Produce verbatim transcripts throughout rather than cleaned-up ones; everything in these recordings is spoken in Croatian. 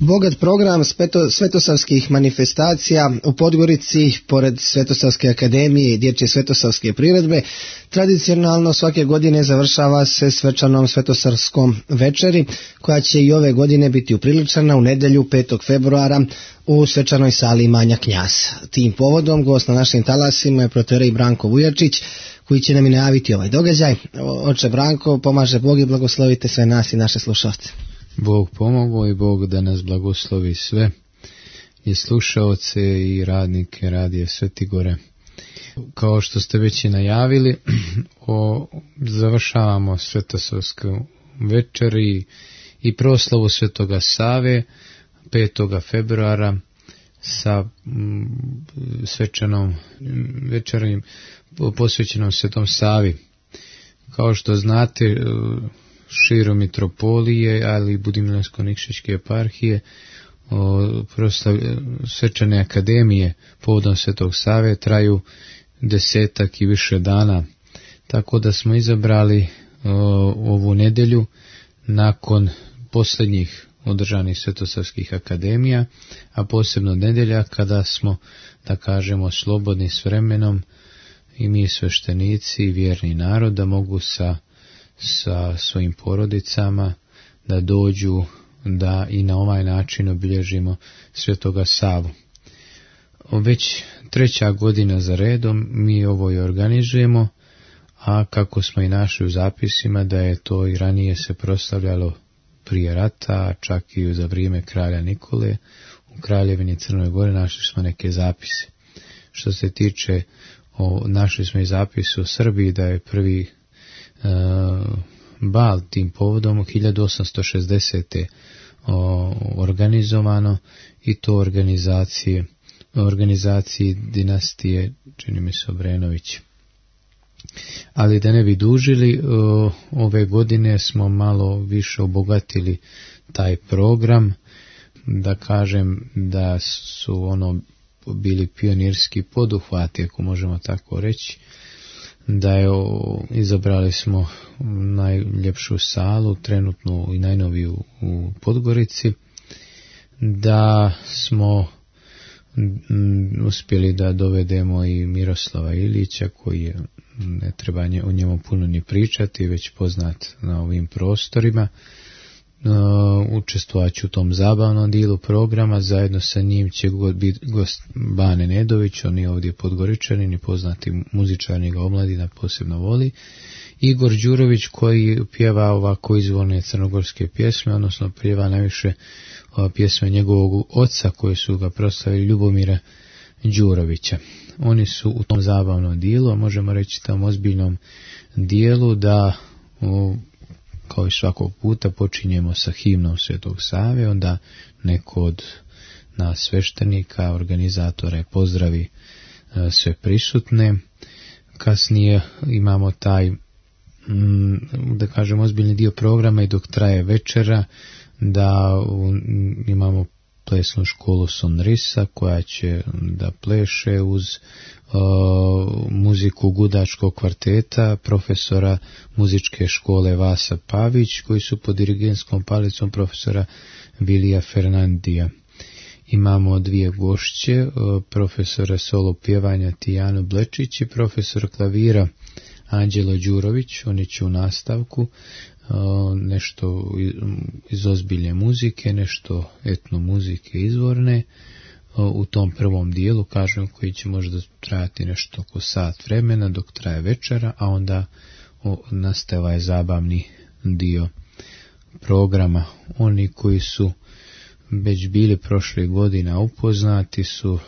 Bogat program svetosavskih manifestacija u Podgorici, pored Svetosavske akademije i dječje svetosavske priredbe, tradicionalno svake godine završava se svečanom svetosavskom večeri, koja će i ove godine biti upriličena u nedjelju petog februara u svečanoj sali imanja Knjaz. Tim povodom gost na našim talasima je protorej Branko Vujačić, koji će nam i najaviti ovaj događaj. Oče Branko, pomaže Bog i blagoslovite sve nas i naše slušalce. Bog pomogao i Bog da nas blagoslovi sve i slušaoce i radnike Radija Svetigore. Kao što ste već i najavili, o, završavamo svetosavsku večer i, i proslavu Svetoga Save petog februara sa m, svečanom večerom posvećenom Svetom Savi. Kao što znate, širom mitropolije, ali i Budimljansko-Nikšićke eparhije, proslav, svečane akademije povodom Svetog Save traju desetak i više dana. Tako da smo izabrali o, ovu nedjelju nakon posljednjih održanih svetosavskih akademija, a posebno nedjelja kada smo, da kažemo, slobodni s vremenom i mi sveštenici i vjerni narod da mogu sa sa svojim porodicama da dođu da i na ovaj način obilježimo Svetoga Savu. Već treća godina za redom mi ovo i organizujemo, a kako smo i našli u zapisima da je to i ranije se proslavljalo prije rata, čak i za vrijeme kralja Nikole, u Kraljevini Crnoj Gore našli smo neke zapise. Što se tiče, o, našli smo i zapis u Srbiji da je prvi Uh, bal tim povodom u hiljadu osamsto šezdesete. O, organizovano i to organizacije organizaciji dinastije, čini mi se, Obrenović. Ali da ne bi dužili, o, ove godine smo malo više obogatili taj program, da kažem da su ono bili pionirski poduhvati, ako možemo tako reći, da je o, izabrali smo najljepšu salu, trenutnu i najnoviju u Podgorici, da smo m, uspjeli da dovedemo i Miroslava Ilića, koji je, ne treba nje, o njemu puno ni pričati, već poznat na ovim prostorima. Uh, učestvovat ću u tom zabavnom dijelu programa, zajedno sa njim će biti gost Bane Nedović, on je ovdje Podgoričanin i poznati muzičar, njega omladina posebno voli, Igor Đurović koji pjeva ovako izvorne crnogorske pjesme, odnosno pjeva najviše pjesme njegovog oca koje su ga proslavili, Ljubomira Đurovića. Oni su u tom zabavnom dijelu, možemo reći tam ozbiljnom dijelu, da u kao i svakog puta počinjemo sa himnom Svetog Save, onda neko od nas sveštenika, organizatora pozdravi e, sve prisutne. Kasnije imamo taj, m, da kažem, ozbiljni dio programa i dok traje večera, da u, imamo plesnu školu Sonrisa koja će da pleše uz o, muziku gudačkog kvarteta profesora muzičke škole Vasa Pavić, koji su pod dirigentskom palicom profesora Vilija Fernandija. Imamo dvije gošće, o, profesora solo pjevanja Tijanu Blečić i profesor klavira Anđelo Đurović. Oni će u nastavku nešto iz ozbiljne muzike, nešto etno muzike izvorne u tom prvom dijelu, kažem, koji će možda trajati nešto oko sat vremena dok traje večera, a onda nastaje ovaj zabavni dio programa. Oni koji su već bili prošle godina upoznati su,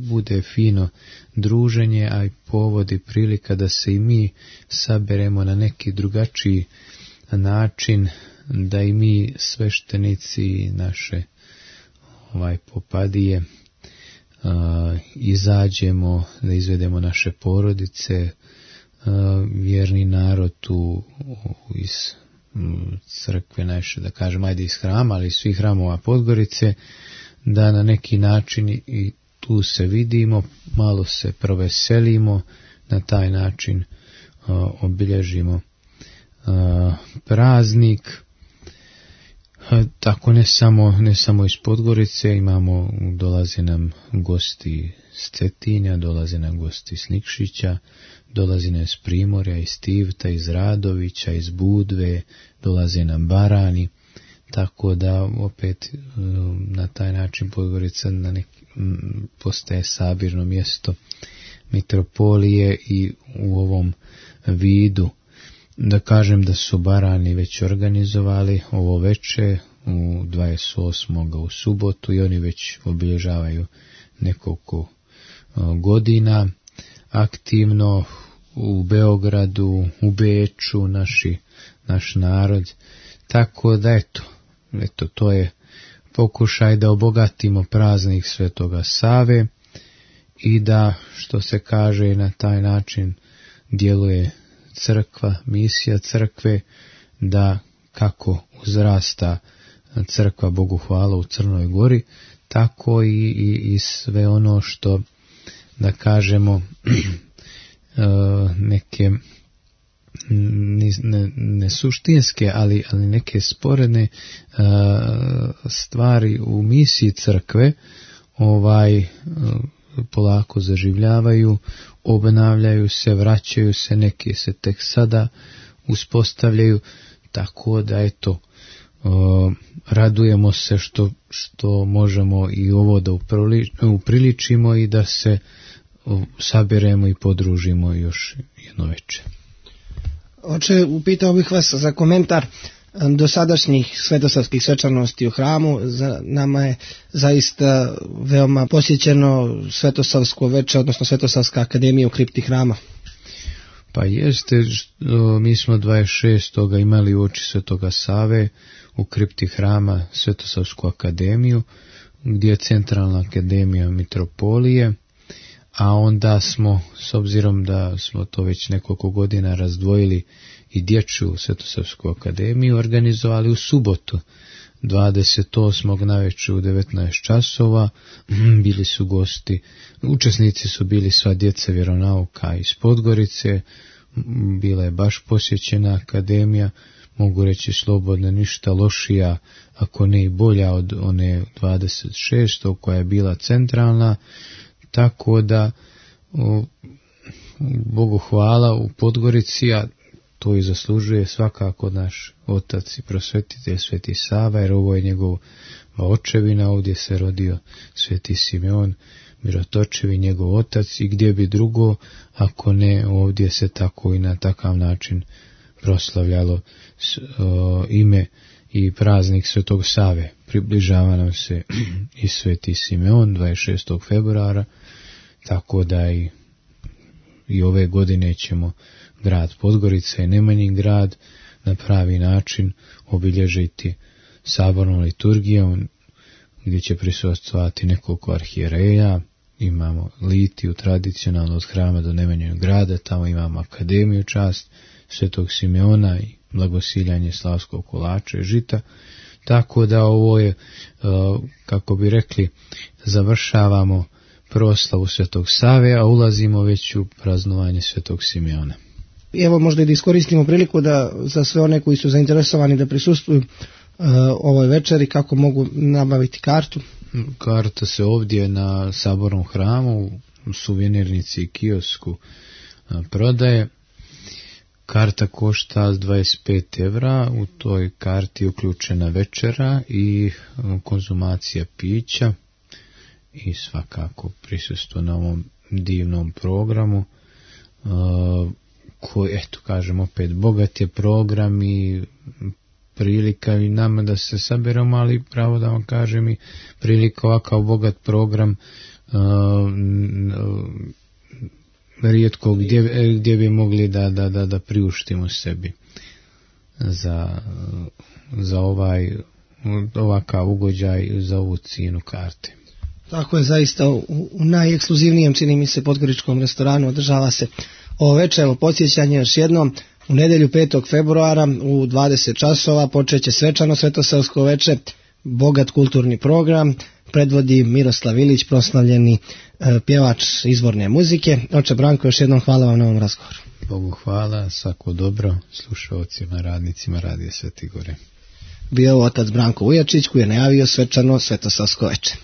bude fino druženje, a i povod i prilika da se i mi saberemo na neki drugačiji način, da i mi sveštenici naše ovaj popadije uh, izađemo, da izvedemo naše porodice, uh, vjerni narod tu iz um, crkve naše, da kažem, ajde iz hrama, ali iz svih hramova Podgorice, da na neki način i tu se vidimo, malo se proveselimo, na taj način uh, obilježimo Uh, praznik. Tako ne samo, ne samo iz Podgorice, imamo, dolaze nam gosti s Cetinja, dolaze nam gosti s Nikšića, dolaze nam iz Primorja, iz Tivta, iz Radovića, iz Budve, dolaze nam Barani, tako da opet na taj način Podgorica na nek, postaje sabirno mjesto mitropolije i u ovom vidu. Da kažem da su Barani već organizovali ovo veče u dvadeset osmog u subotu i oni već obilježavaju nekoliko godina aktivno u Beogradu, u Beču, naši, naš narod. Tako da eto, eto to je pokušaj da obogatimo praznik Svetoga Save i da, što se kaže, na taj način djeluje crkva, misija crkve, da kako uzrasta crkva Bogu hvala u Crnoj Gori, tako i, i, i sve ono što, da kažemo, neke ne, ne suštinske, ali, ali neke sporedne stvari u misiji crkve ovaj polako zaživljavaju, obnavljaju se, vraćaju se, neke se tek sada uspostavljaju, tako da eto, radujemo se što, što možemo i ovo da upriličimo i da se sabiremo i podružimo još jedno večer. Oče, upitao bih vas za komentar dosadašnjih svetosavskih svečanosti u hramu. Za nama je zaista veoma posjećeno Svetosavsko veče, odnosno Svetosavska akademija u kripti hrama. Pa jeste, mi smo dvadeset šestog imali u oči Svetoga Save u kripti hrama Svetosavsku akademiju, gdje je centralna akademija mitropolije, a onda smo, s obzirom da smo to već nekoliko godina razdvojili i dječju Svetosavsku akademiju, organizovali u subotu dvadeset osmog navečer u devetnaest časova. Bili su gosti, učesnici su bili sva djeca vjeronauka iz Podgorice, bila je baš posjećena akademija, mogu reći slobodno, ništa lošija, ako ne i bolja od one dvadeset šestog koja je bila centralna, tako da o, Bogu hvala u Podgorici, a to i zaslužuje svakako naš otac i prosvetitelj Sveti Sava, jer ovo je njegova očevina, ovdje se rodio Sveti Simeon Mirotočevi, njegov otac, i gdje bi drugo, ako ne ovdje se tako i na takav način proslavljalo s, o, ime i praznik Svetog Save. Približava nam se i Sveti Simeon dvadeset šestog februara, tako da i, i ove godine ćemo grad Podgorica i Nemanjin grad na pravi način obilježiti sabornom liturgijom, gdje će prisustvovati nekoliko arhijereja. Imamo litiju tradicionalno od hrama do Nemanjinog grada, tamo imamo akademiju čast Svetog Simeona i blagosiljanje slavskog kolača i žita, tako da ovo je, kako bi rekli, završavamo proslavu Svetog Save, a ulazimo već u praznovanje Svetog Simeona. Evo možda i da iskoristimo priliku da za sve one koji su zainteresovani da prisustvuju uh, ovoj večeri, kako mogu nabaviti kartu. Karta se ovdje na Sabornom hramu u suvenirnici i kiosku uh, prodaje. Karta košta dvadeset pet evra, u toj karti je uključena večera i uh, konzumacija pića i svakako prisustvo na ovom divnom programu, uh, koji, eto kažem opet, bogat je program i prilika i nama da se saberemo, ali pravo da vam kažem i prilika ovakav bogat program uh, rijetko gdje, gdje bi mogli da, da, da, da priuštimo sebi za, za ovaj ovakav ugođaj, za ovu cijenu karte. Tako je, zaista u, u najekskluzivnijem, čini mi se, podgoričkom restoranu održava se ovo večer. Podsjećanje još jednom, u nedjelju petog februara u dvadeset časova počeće svečano Svetosavsko veče, bogat kulturni program, predvodi Miroslav Ilić, proslavljeni e, pjevač izvorne muzike. Oče Branko, još jednom hvala vam na ovom razgovoru. Bogu hvala, svako dobro slušalcima, radnicima Radija Sveti Gore. bio otac Branko Ujačić koji je najavio svečano Svetosavsko veče.